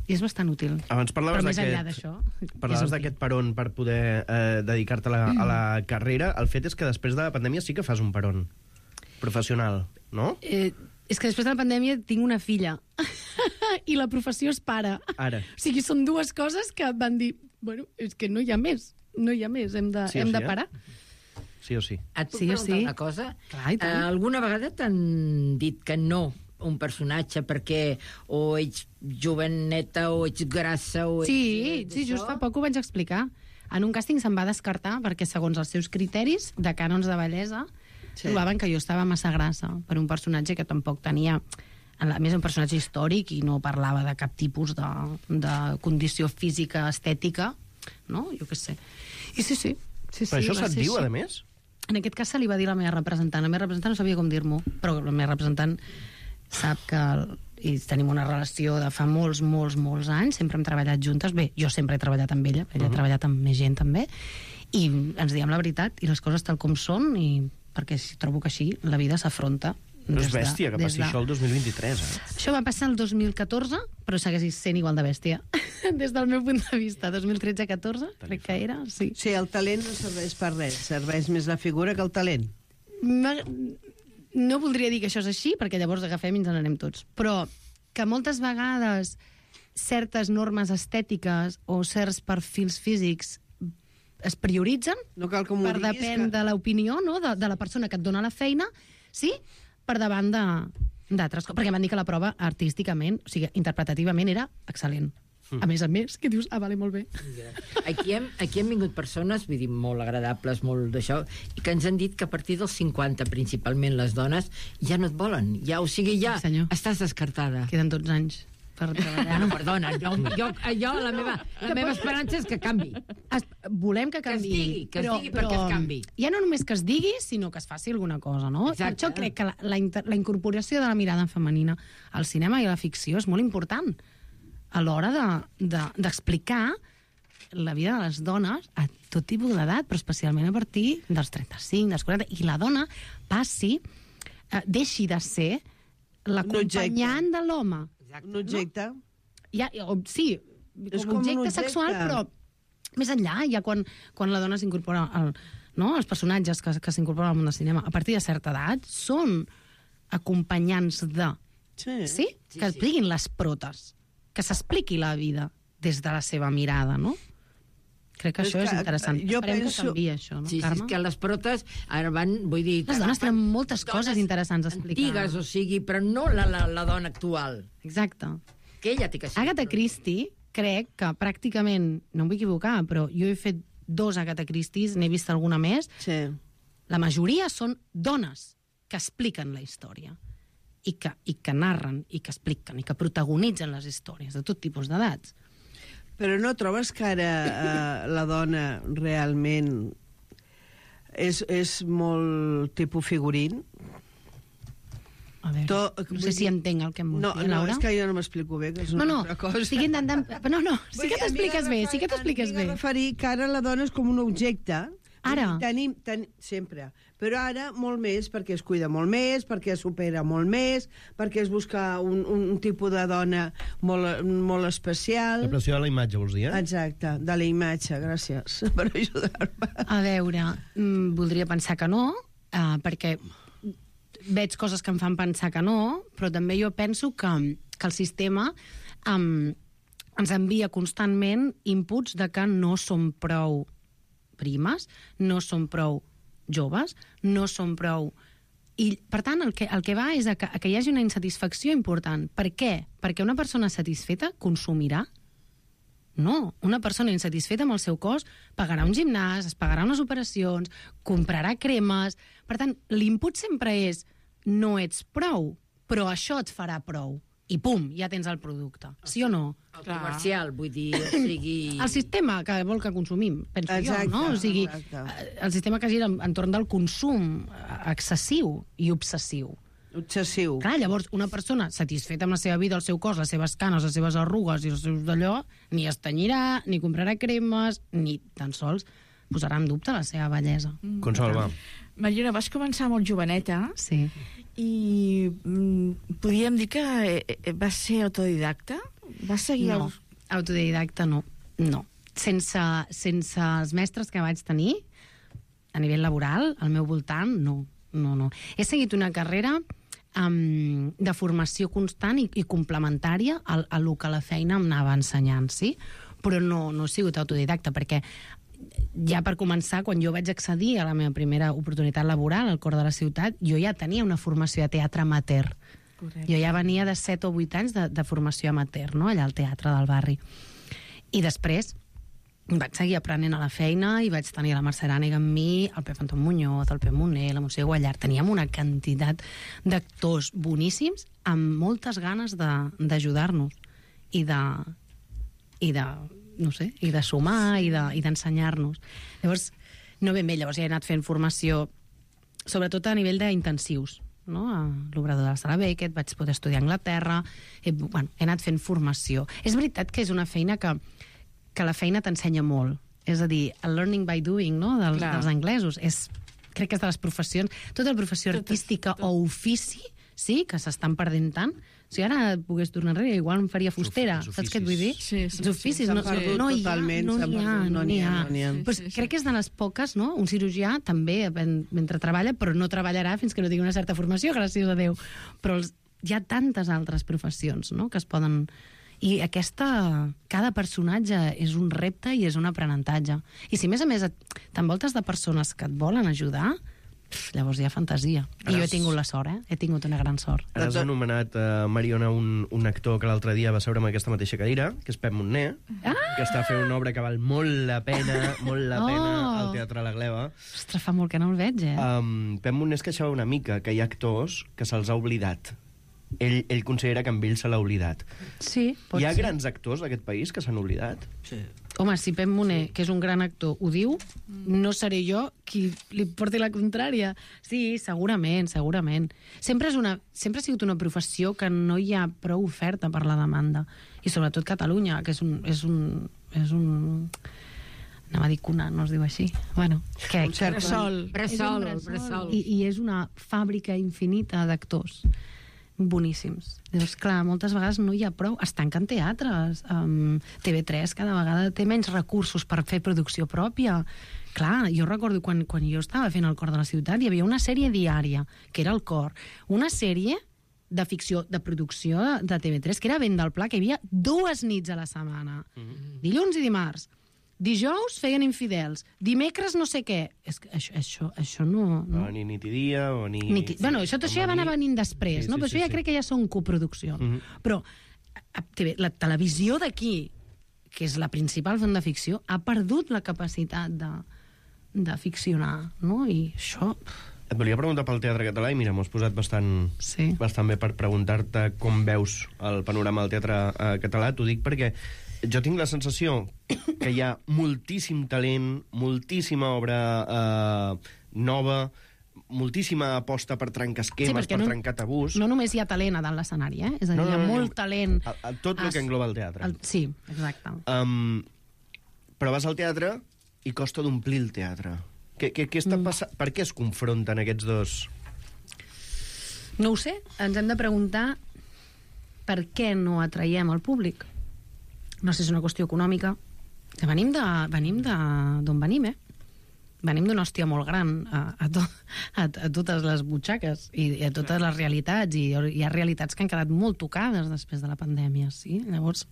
és bastant útil. Abans però més enllà d'això... Parlaves d'aquest peron per poder dedicar-te a la carrera. El fet és que després de la pandèmia sí que fas un peron professional, no? És que després de la pandèmia tinc una filla i la professió és pare. Ara. O sigui, són dues coses que van dir, bueno, és que no hi ha més, hem de parar. Sí o sí. Et puc preguntar una cosa? Clar, i tant. Alguna vegada t'han dit que no un personatge perquè o ets joveneta o ets grassa o ets... Sí, just fa poc ho vaig explicar. En un càsting se'm va descartar perquè segons els seus criteris de cànons de bellesa trobaven que jo estava massa grassa per un personatge que tampoc tenia... A més, un personatge històric i no parlava de cap tipus de condició física, estètica, no? Jo què sé. I sí. Però això se't diu, a més? En aquest cas se li va dir la meva representant. La meva representant no sabia com dir-m'ho, però la meva representant sap que tenim una relació de fa molts anys, sempre hem treballat juntes. Bé, jo sempre he treballat amb ella ha treballat amb més gent també, i ens diem la veritat i les coses tal com són, i perquè trobo que així la vida s'afronta. No és bèstia que passi això el 2023, Això va passar el 2014, però segueix sent igual de bèstia. Des del meu punt de vista, 2013-14, crec que era, sí. Sí, el talent no serveix per res, serveix més la figura que el talent. No voldria dir que això és així, perquè llavors agafem i ens n'anem tots, però que moltes vegades certes normes estètiques o certs perfils físics es prioritzen per depèn de l'opinió, no? de la persona que et dona la feina, sí, per davant d'altres coses. Perquè em van dir que la prova artísticament, o sigui, interpretativament, era excel·lent. A més, que dius, vale, molt bé. Aquí hem vingut persones, vull dir, molt agradables, molt d'això, i que ens han dit que a partir dels 50, principalment les dones, ja no et volen. Ja, o sigui, ja estàs descartada. Queden 12 anys per treballar. No, perdona, la meva esperança és que canvi. Volem que canvi. Que es digui perquè es canvi. Ja no només que es digui, sinó que es faci alguna cosa, no? Per això crec que la incorporació de la mirada femenina al cinema i a la ficció és molt important a l'hora d'explicar la vida de les dones a tot tipus d'edat, però especialment a partir dels 35, dels 40, i la dona deixi de ser l'acompanyant de l'home. Un objecte. Sí, com objecte sexual, però més enllà, ja quan la dona s'incorpora els personatges que s'incorporen al món del cinema a partir de certa edat són acompanyants de... Sí? Que expliquin les protes, que s'expliqui la vida des de la seva mirada, no? Crec que això és interessant. Esperem que canviï això, no, Carme? Sí, que les protes ara van, vull dir... Les dones tenen moltes coses interessants a explicar. Antigues, o sigui, però no la dona actual. Exacte. Que ella té que ser. Agatha Christie, crec que pràcticament, no em vull equivocar, però jo he fet 2 Agatha Christies, n'he vist alguna més, Sí. la majoria són dones que expliquen la història i que narren, i que expliquen, i que protagonitzen les històries de tot tipus d'edats. Però no trobes que ara la dona realment és molt tipus figurín? A veure, no sé si entenc el que em vols dir, Laura. No, és que jo no m'explico bé, que és una altra cosa. Estic intentant... No, sí que t'expliques bé, sí que t'expliques bé. Em referir que ara la dona és com un objecte. Ara? Sempre. Però ara molt més, perquè es cuida molt més, perquè es supera molt més, perquè es busca un tipus de dona molt especial. La pressió de la imatge, vols dir, Exacte, de la imatge, gràcies per ajudar-me. A veure, voldria pensar que no, perquè veig coses que em fan pensar que no, però també jo penso que el sistema ens envia constantment inputs de que no som prou primes, no som prou joves, no som prou... I, per tant, el que va és que hi hagi una insatisfacció important. Per què? Perquè una persona satisfeta consumirà? No, una persona insatisfeta amb el seu cos pagarà un gimnàs, es pagarà unes operacions, comprarà cremes... Per tant, l'input sempre és no ets prou, però això et farà prou. I pum, ja tens el producte. Sí o no? El comercial, vull dir, o sigui... El sistema que vol que consumim, penso Exacte, jo, no? O sigui, el sistema que gira entorn del consum excessiu i obsessiu. Obsessiu. Clar, llavors, una persona satisfeta amb la seva vida, el seu cos, les seves canes, les seves arrugues i els seus d'allò, ni es tenyirà, ni comprarà cremes, ni tan sols posarà en dubte la seva bellesa. Consol, va. Mariona, vas començar molt joveneta Sí. i podríem dir que vas ser autodidacta? Vas seguir... No, autodidacta no. No. Sense els mestres que vaig tenir, a nivell laboral, al meu voltant, no. He seguit una carrera de formació constant i complementària a lo que la feina em anava ensenyant, sí? Però no he sigut autodidacta, perquè ja per començar, quan jo vaig accedir a la meva primera oportunitat laboral al cor de la ciutat, jo ja tenia una formació de teatre amateur. Correcte. Jo ja venia de 7 o 8 anys de formació amateur, no?, allà al teatre del barri. I després vaig seguir aprenent a la feina i vaig tenir la Mercè Arànega amb mi, el Pep Anton Muñoz, el Pep Moner, la Montse Guallart. Teníem una quantitat d'actors boníssims amb moltes ganes d'ajudar-nos i de sumar i d'ensenyar-nos. Llavors, no ben bé, llavors ja he anat fent formació, sobretot a nivell d'intensius, no? A l'Obrador de la Sala Beckett, vaig poder estudiar a Anglaterra, he anat fent formació. És veritat que és una feina que la feina t'ensenya molt. És a dir, el learning by doing, no?, dels anglesos. Crec que és de les professions, tota la professió artística o ofici, sí, que s'estan perdent tant. Si ara pogués tornar enrere, igual em faria fustera. Saps què et vull dir? Sí. Els oficis no n'hi ha. Pues crec que és de les poques, no? Un cirurgià també, mentre treballa, però no treballarà fins que no tingui una certa formació, gràcies a Déu. Però hi ha tantes altres professions, no?, que es poden... I cada personatge és un repte i és un aprenentatge. I si, a més, t'envoltes de persones que et volen ajudar, llavors hi ha fantasia. I jo he tingut la sort, he tingut una gran sort. Ara has anomenat, Mariona, un actor que l'altre dia va seure en aquesta mateixa cadira, que és Pep Moner, que està fent una obra que val molt la pena al Teatre La Gleva. Ostres, fa molt que no el veig, Pep Moner es queixava una mica que hi ha actors que se'ls ha oblidat. Ell considera que amb ell se l'ha oblidat. Sí, pot ser. Hi ha grans actors d'aquest país que s'han oblidat? Sí. Home, si Pep Moner, que és un gran actor, ho diu, no seré jo qui li porti la contrària. Sí, segurament. Sempre ha sigut una professió que no hi ha prou oferta per la demanda. I sobretot Catalunya, que és un anava a dir cuna, no es diu així. Bueno, Bressol. I és una fàbrica infinita d'actors boníssims. Llavors, clar, moltes vegades no hi ha prou. Es tanquen teatres. TV3 cada vegada té menys recursos per fer producció pròpia. Clar, jo recordo quan jo estava fent El cor de la ciutat, hi havia una sèrie diària, que era El cor. Una sèrie de ficció, de producció de TV3, que era Vent del Pla, que hi havia 2 nits a la setmana. Dilluns i dimarts. Dijous feien Infidels, dimecres no sé què. És que això no... Ni nit i dia, o ni... Bueno, això ja va anar venint després, no? Però això ja crec que ja són coproduccions. Però la televisió d'aquí, que és la principal font de ficció, ha perdut la capacitat de ficcionar, no? I això... Et volia preguntar pel teatre català i mira, m'ho has posat bastant bé per preguntar-te com veus el panorama del teatre català. T'ho dic perquè jo tinc la sensació que hi ha moltíssim talent, moltíssima obra nova, moltíssima aposta per trencar esquemes, per trencar tabús. No només hi ha talent a dalt l'escenari, és a dir, hi ha molt talent... Tot el que engloba el teatre. Sí, exacte. Però vas al teatre i costa d'omplir el teatre. Què està passant? Per què es confronten aquests dos? No ho sé. Ens hem de preguntar per què no atraiem el públic. No sé si és una qüestió econòmica. Venim d'on venim, Venim d'una hòstia molt gran a totes les butxaques i a totes les realitats. I hi ha realitats que han quedat molt tocades després de la pandèmia, sí? Llavors,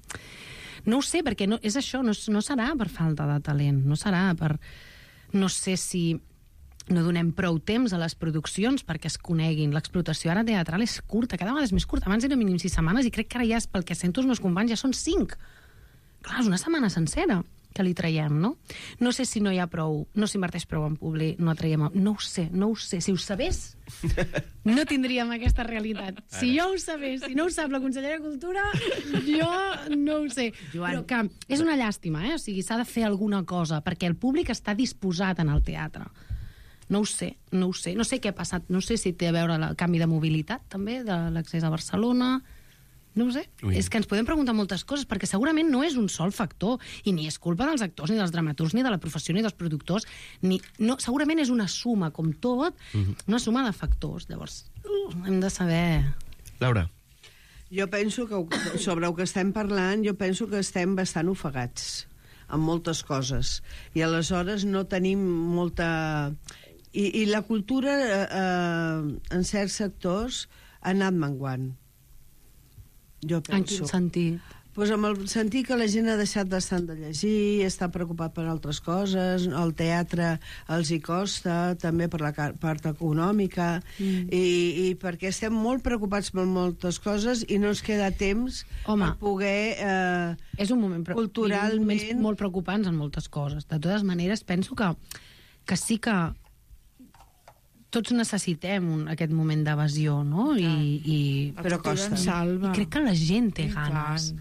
no ho sé, perquè és això, no serà per falta de talent, no serà per... No sé si no donem prou temps a les produccions perquè es coneguin. L'explotació ara teatral és curta, cada vegada és més curta. Abans era mínim 6 setmanes i crec que ara ja, pel que sento els meus companys, ja són 5. Clar, és una setmana sencera que li traiem, no? No sé si no hi ha prou, no s'inverteix prou en públic, no traiem... No ho sé. Si ho sabés, no tindríem aquesta realitat. Si jo ho sabés, si no ho sap la consellera de Cultura, jo no ho sé. Però que és una llàstima, O sigui, s'ha de fer alguna cosa, perquè el públic està disposat en el teatre. No ho sé. No sé què ha passat. No sé si té a veure el canvi de mobilitat, també, de l'accés a Barcelona... No ho sé. És que ens podem preguntar moltes coses, perquè segurament no és un sol factor, i ni és culpa dels actors, ni dels dramaturgs, ni de la professió, ni dels productors, segurament és una suma, com tot, una suma de factors. Llavors, hem de saber... Laura. Jo penso que, sobre el que estem parlant, jo penso que estem bastant ofegats amb moltes coses, i aleshores no tenim molta... I la cultura, en certs sectors, ha anat menguant. Jo penso. En quin sentit? Pues amb el sentit que la gent ha deixat bastant de llegir, està preocupat per altres coses, el teatre els hi costa, també per la part econòmica, i perquè estem molt preocupats per moltes coses i no ens queda temps per poder és un moment culturalment... molt preocupants en moltes coses. De totes maneres, penso que sí que tots necessitem aquest moment d'evasió, no? Però costa. I crec que la gent té ganes.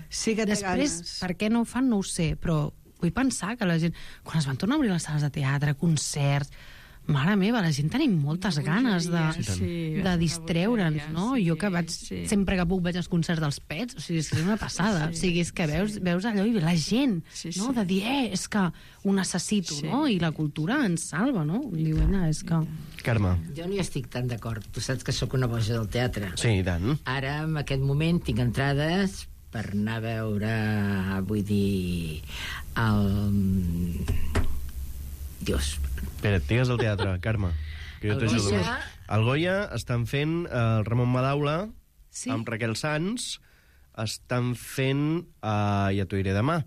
Sí que té ganes. Després, per què no ho fan, no ho sé, però vull pensar que la gent... Quan es van tornar a obrir les sales de teatre, concerts... Mare meva, la gent tenim moltes ganes de distreure'ns, no? Jo que vaig, sempre que puc vaig als concerts dels Pets, o sigui, és una passada. O sigui, és que veus allò i la gent, no? De dir, és que ho necessito, no? I la cultura ens salva, no? Diuen, és que... Carme. Jo no hi estic tan d'acord. Tu saps que sóc una boja del teatre. Sí, i tant. Ara, en aquest moment, tinc entrades per anar a veure, vull dir, Dios. Espera, digues el teatre, Carme, que jo t'ajudo. Al Goya estan fent el Ramon Madaula amb Raquel Sanz, estan fent, ja t'ho diré demà,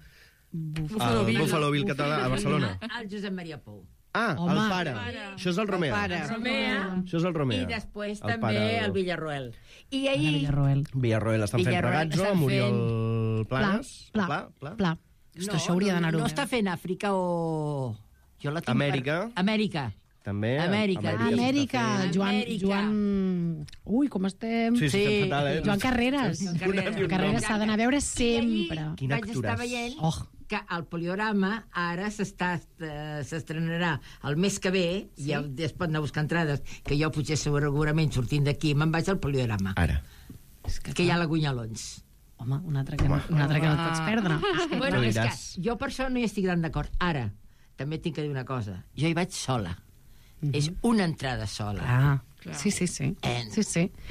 el Buffalo Bill català a Barcelona. El Josep Maria Pou. El pare. Això és el Romea. Això és el Romea. I després també el Villarroel. I ahir... Villarroel estan fent Ragazzo, amb Oriol Planes. Pla. Això hauria d'anar-ho. No està fent Àfrica o... Jo la tinc Amèrica. També. Amèrica. Joan... Ui, com estem... Sí, estem fatal, Joan Carreras. Joan Carreras s'ha d'anar a veure sempre. Quin actoràs. Vaig estar veient que el Poliorama ara s'estrenarà el mes que ve, i ja es pot anar a buscar entrades, que jo potser segurament sortint d'aquí me'n vaig al Poliorama. Ara. Que hi ha la Gunyalons. Home, un altre que no et pots perdre. Bueno, és que jo per això no hi estic tan d'acord. Ara, també tinc que dir una cosa. Jo hi vaig sola. És una entrada sola. Sí.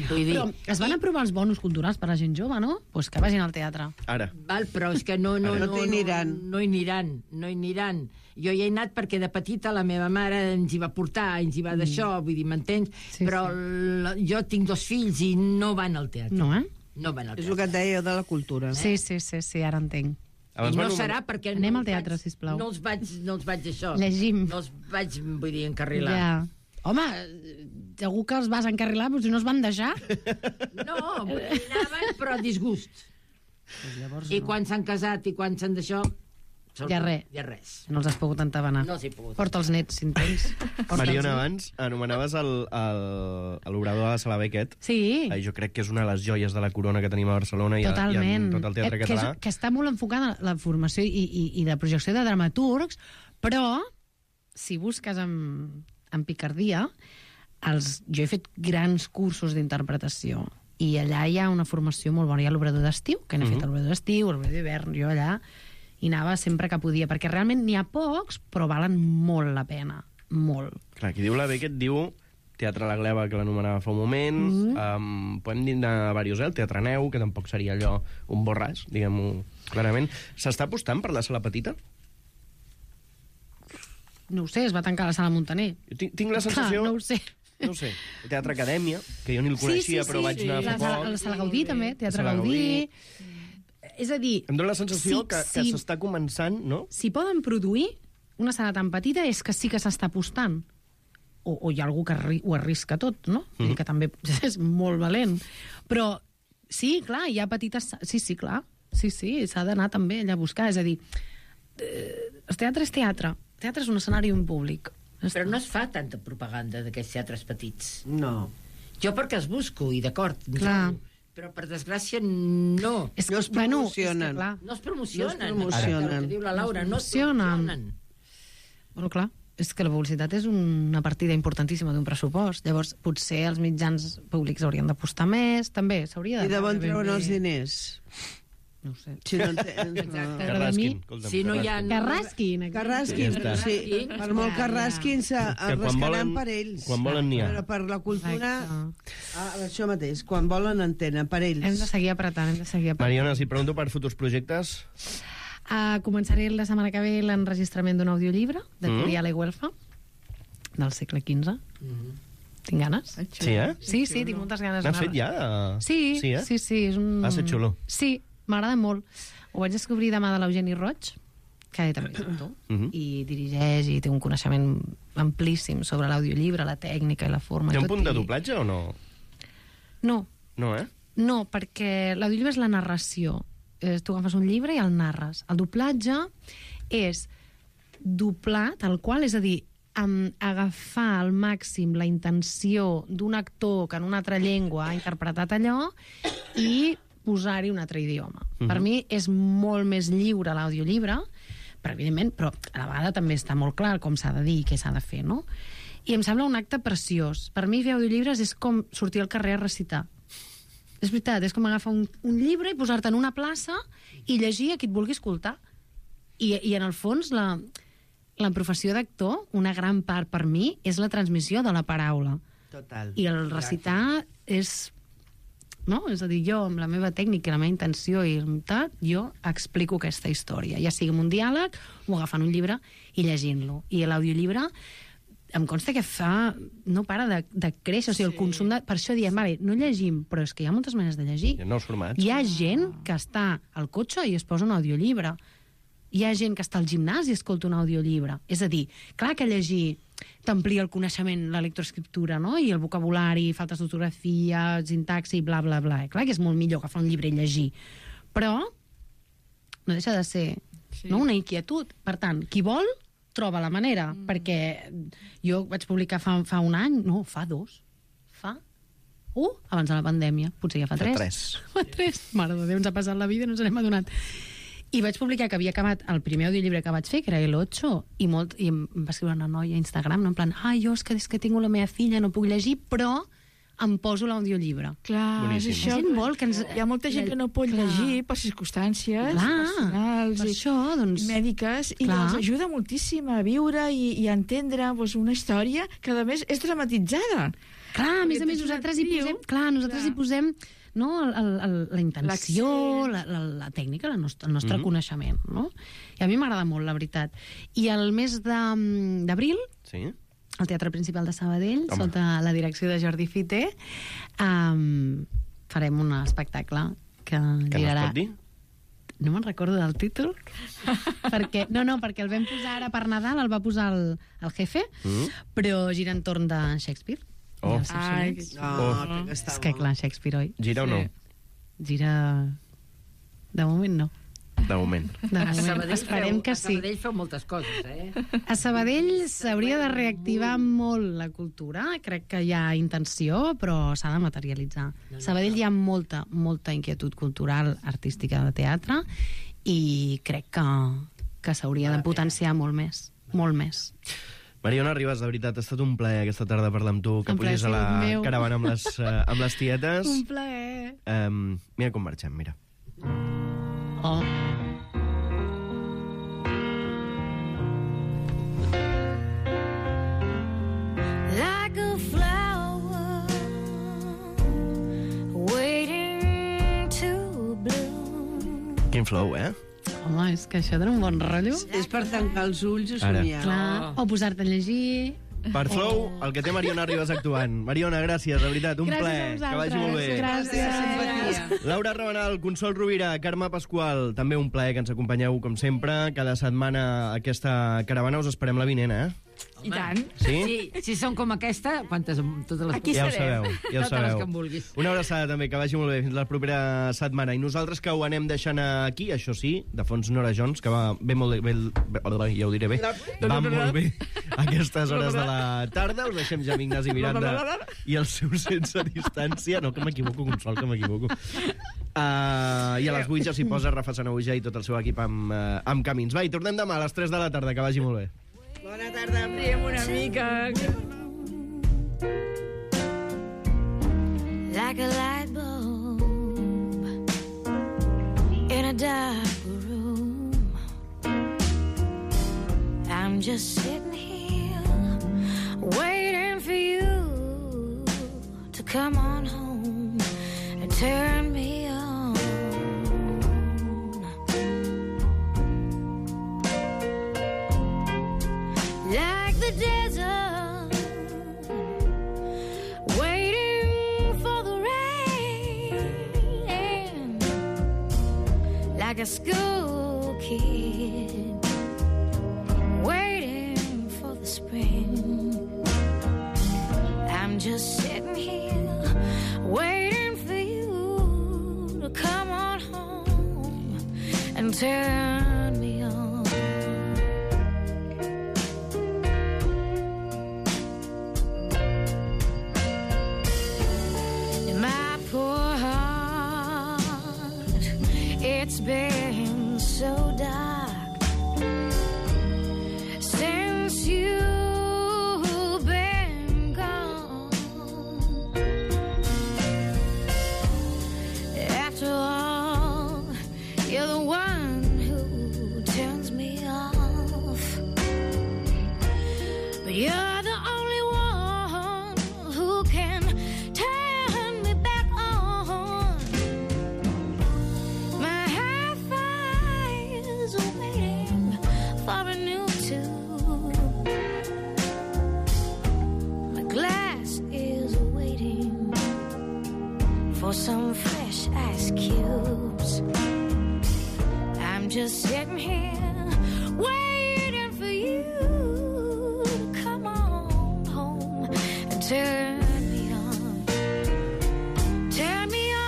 Però es van aprovar els bonus culturals per a la gent jove, no? Doncs que vagin al teatre. Ara. Val, però és que no hi aniran. Jo hi he anat perquè de petita la meva mare ens hi va portar, ens hi va d'això, vull dir, m'entens? Però jo tinc 2 fills i no van al teatre. No, No van al teatre. És el que et deia de la cultura. Sí, ara entenc. I no serà perquè... Anem al teatre, sisplau. No els vaig això. Llegim. No els vaig, vull dir, encarrilar. Ja. Home, segur que els vas encarrilar, però si no es van deixar. No, anaven, però a disgust. Pues llavors I quan s'han casat i quan s'han d'això... Ja res. No els has pogut entabanar. No els he pogut. Porta els nets, si en tens. Mariona, abans anomenaves l'obrador de la Sala Beckett. Sí. Jo crec que és una de les joies de la corona que tenim a Barcelona i en tot el teatre català. Que està molt enfocada la formació i la projecció de dramaturgs, però, si busques en picardia, jo he fet grans cursos d'interpretació i allà hi ha una formació molt bona. Hi ha l'obrador d'estiu, que n'he fet l'obrador d'estiu, l'obrador d'hivern, jo allà i anava sempre que podia, perquè realment n'hi ha pocs, però valen molt la pena, molt. Clar, qui diu la Beckett diu Teatre La Gleva, que l'anomenava fa un moment, podem dir de diversos, el Teatre Neu, que tampoc seria allò un borràs, diguem-ho clarament. S'està apostant per la sala petita? No ho sé, es va tancar la sala Montaner. Tinc la sensació... Clar, no ho sé. No ho sé. Teatre Acadèmia, que jo ni el coneixia, però vaig anar fa poc. La sala Gaudí, també, Teatre Gaudí. És a dir... Em dóna la sensació que s'està començant, no? Si poden produir una sala tan petita és que sí que s'està apostant. O hi ha algú que ho arrisca tot, no? Vull dir que també és molt valent. Però sí, clar, hi ha petites... Sí, clar. Sí, s'ha d'anar també allà a buscar. És a dir, el teatre és teatre. El teatre és un escenari un públic. Però no es fa tanta propaganda d'aquests teatres petits. No. Jo perquè els busco, i d'acord. Clar. Però, per desgràcia, no. No es promocionen. No es promocionen. No es promocionen. El que diu la Laura, no es promocionen. Bueno, clar, és que la publicitat és una partida importantíssima d'un pressupost. Llavors, potser els mitjans públics haurien d'apostar més, també s'hauria de... I de bon treuen els diners. No ho sé. Si no Carrasquin. Si no hi ha... Carrasquin. Sí. Per molt Carrasquin, es rascaran per ells. Quan volen n'hi ha. Però per la cultura, això mateix, quan volen en tenen, per ells. Hem de seguir apretant, Mariona, si pregunto per futurs projectes... Començaré la setmana que ve l'enregistrament d'un audiollibre de Curial i Güelfa, del segle XV. Tinc ganes. Sí, eh? Sí, tinc moltes ganes. N'has fet ja? Sí. És un... Va ser xulo. Sí, m'agrada molt. Ho vaig descobrir demà de l'Eugeni Roig, que també és autor, i dirigeix i té un coneixement amplíssim sobre l'audiollibre, la tècnica i la forma. Té un punt de doblatge o no? No. No, eh? No, perquè l'audiollibre és la narració. Tu agafes un llibre i el narres. El doblatge és doblar tal qual, és a dir, agafar al màxim la intenció d'un actor que en una altra llengua ha interpretat allò i posar-hi un altre idioma. Per mi és molt més lliure l'audiollibre, però evidentment, però a la vegada també està molt clar com s'ha de dir i què s'ha de fer, no? I em sembla un acte preciós. Per mi fer audiollibres és com sortir al carrer a recitar. És veritat, és com agafar un llibre i posar-te en una plaça i llegir a qui et vulgui escoltar. I en el fons, la professió d'actor, una gran part per mi, és la transmissió de la paraula. Total. I el recitar és... No? És a dir, jo, amb la meva tècnica i la meva intenció i tal, jo explico aquesta història. Ja sigui amb un diàleg o agafant un llibre i llegint-lo. I l'audiollibre em consta que no para de créixer, o sigui, el consum de... Per això diem, vale, no llegim, però és que hi ha moltes maneres de llegir. Hi ha nous formats. Hi ha gent que està al cotxe i es posa un audiollibre. Hi ha gent que està al gimnàs i escolta un audiollibre. És a dir, clar que llegir t'amplia el coneixement, la lectoescriptura, no? I el vocabulari, faltes d'ortografia, sintaxi, bla, bla, bla. Clar que és molt millor agafar un llibre i llegir. Però no deixa de ser una inquietud. Per tant, qui vol troba la manera, perquè jo vaig publicar fa un any, no, fa 2, abans de la pandèmia, potser ja fa 3. Fa 3. Mare de Déu, ens ha passat la vida i no ens n'hem adonat. I vaig publicar que havia acabat el primer audiollibre que vaig fer, que era el 8, i em va escriure una noia a Instagram, no? En plan, jo és que tinc la meva filla, no puc llegir, però em poso l'audiollibre. Clar, és això. Hi ha molta gent que no pot llegir per circumstàncies personals i mèdiques, i els ajuda moltíssim a viure i a entendre una història que, a més, és dramatitzada. Clar, a més, nosaltres hi posem la intenció, la tècnica, el nostre coneixement. No? I a mi m'agrada molt, la veritat. I el mes d'abril, al Teatre Principal de Sabadell, sota la direcció de Jordi Fité, farem un espectacle que girarà... Que no es pot dir? No me'n recordo del títol, perquè el vam posar ara per Nadal, el va posar el jefe, però gira entorn de Shakespeare. És que clar, Shakespeare, oi? Gira o no? Gira De moment no. De moment. Esperem que sí. A Sabadell feu moltes coses, A Sabadell s'hauria de reactivar molt la cultura. Crec que hi ha intenció, però s'ha de materialitzar. A Sabadell hi ha molta inquietud cultural, artística de teatre, i crec que s'hauria de potenciar molt més. Molt més. Mariona Ribas, de veritat, ha estat un plaer aquesta tarda parlar amb tu, que pugis a la caravana amb les tietes. Un plaer. Mira com marxem, mira. Oh. Like a flower waiting to bloom. Quin flow, eh? Home, és que això dona un bon rotllo. És per tancar els ulls i Ara. somiar. Clar, o posar-te a llegir. Per flow, el que té Mariona Ribas actuant. Mariona, gràcies, de veritat, un plaer. Que vagi molt bé. Gràcies. Laura Rabanal, Consol Rovira, Carme Pasqual, també un plaer que ens acompanyeu, com sempre. Cada setmana a aquesta caravana us esperem la vinent, eh? I tant. Sí? Si són com aquesta, quantes? Totes les Aquí Ja ho serem. sabeu, ja ho Totes les sabeu. que em vulguis. Una abraçada també, que vagi molt bé, fins la propera setmana. I nosaltres que ho anem deixant aquí, això sí, de fons Nora Jones, que va bé molt bé, ja ho diré bé, va molt bé a aquestes hores de la tarda. Us deixem ja amb Ignasi Miranda i el seu Sense Distància. No, que m'equivoco, Consol, que m'equivoco. I a les 8 ja s'hi posa Rafa Sanahuja i tot el seu equip amb Camins. Va, i tornem demà a les 3 de la tarda, que vagi molt bé. Bona tarda. Riem una mica. Like a light bulb in a dark room. I'm just sitting here waiting for you to come on home and turn me on. Like the desert, waiting for the rain. Like a school kid, waiting for the spring. I'm just sitting here, waiting for you to come on home and turn me on. It's been so dark since you've been gone. After all, you're the one who turns me off. But you're the only one who can turn me back on. My hi-fi is waiting for a new tune. My glass is waiting for some fresh ice cubes. I'm just sitting here waiting for you to come on home and turn me on. Turn me on.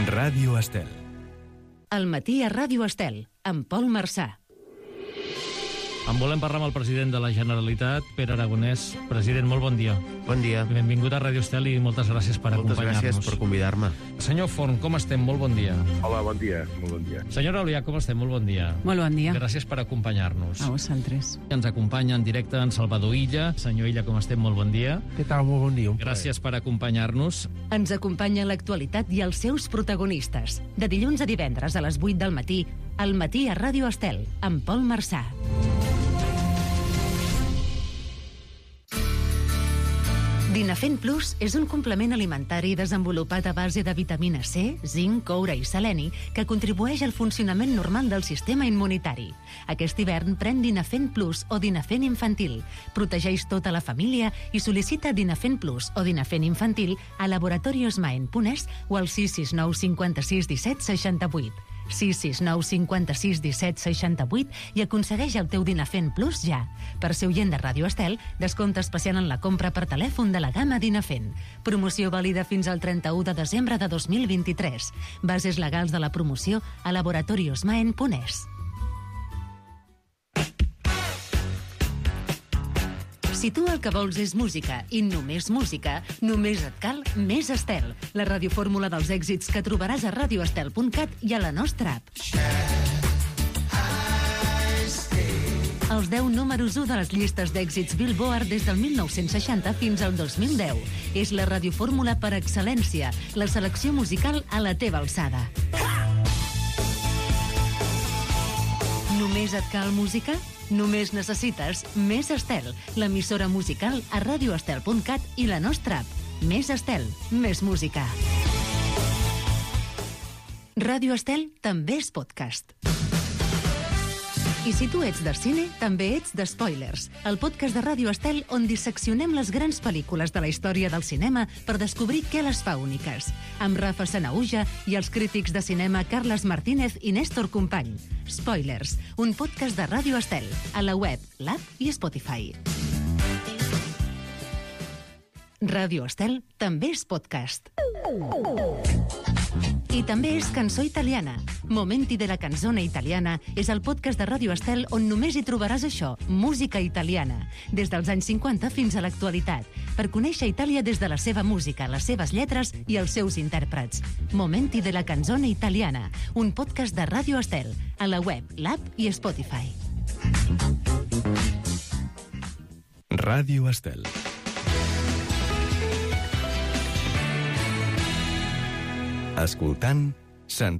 Ràdio Estel. Al matí a Ràdio Estel, amb Pol Marçà. En volem parlar amb el president de la Generalitat, Pere Aragonès. President, molt bon dia. Bon dia. Benvingut a Ràdio Estel i moltes gràcies per acompanyar-nos. Moltes gràcies per convidar-me. Senyor Forn, com estem? Molt bon dia. Hola, bon dia. Molt bon dia. Senyora Olià, com estem? Molt bon dia. Molt bon dia. Gràcies per acompanyar-nos. A vosaltres. Ens acompanya en directe en Salvador Illa. Senyor Illa, com estem? Molt bon dia. Què tal? Molt bon dia. Gràcies per acompanyar-nos. Ens acompanya l'actualitat i els seus protagonistes. De dilluns a divendres a les 8 del matí, al matí a Ràdio Estel, amb Pol Marçà. Dinafen Plus és un complement alimentari desenvolupat a base de vitamina C, zinc, coure i seleni que contribueix al funcionament normal del sistema immunitari. Aquest hivern pren Dinafen Plus o Dinafen Infantil. Protegeix tota la família i sol·licita Dinafen Plus o Dinafen Infantil a laboratoriosmaen.es o al 669 56 17 68. 669 56 17 68 i aconsegueix el teu Dinafen Plus ja. Per ser oient de Ràdio Estel, descompte especial en la compra per telèfon de la gamma Dinafen. Promoció vàlida fins al 31 de desembre de 2023. Bases legals de la promoció a laboratoriosmaen.es. Si tu el que vols és música i només música, només et cal Més Estel, la radiofórmula dels èxits que trobaràs a radioestel.cat i a la nostra app. Els 10 números 1 de les llistes d'èxits Billboard des del 1960 fins al 2010. És la radiofórmula per excel·lència, la selecció musical a la teva alçada. Només et cal música? Només necessites Més Estel, l'emissora musical a radioestel.cat i la nostra app. Més Estel, més música. Ràdio Estel també és podcast. I si tu ets de cine, també ets de Spoilers, el podcast de Ràdio Estel on disseccionem les grans pel·lícules de la història del cinema per descobrir què les fa úniques. Amb Rafa Sanauja i els crítics de cinema Carles Martínez i Néstor Company. Spoilers, un podcast de Ràdio Estel, a la web, l'app i Spotify. Ràdio Estel també és podcast. I també és Cançó Italiana. Momenti de la canzone italiana és el podcast de Ràdio Estel on només hi trobaràs això, música italiana, des dels anys 50 fins a l'actualitat, per conèixer Itàlia des de la seva música, les seves lletres i els seus intèrprets. Momenti de la canzone italiana, un podcast de Ràdio Estel, a la web, l'app i Spotify. Ràdio Estel. Escoltant, sentint.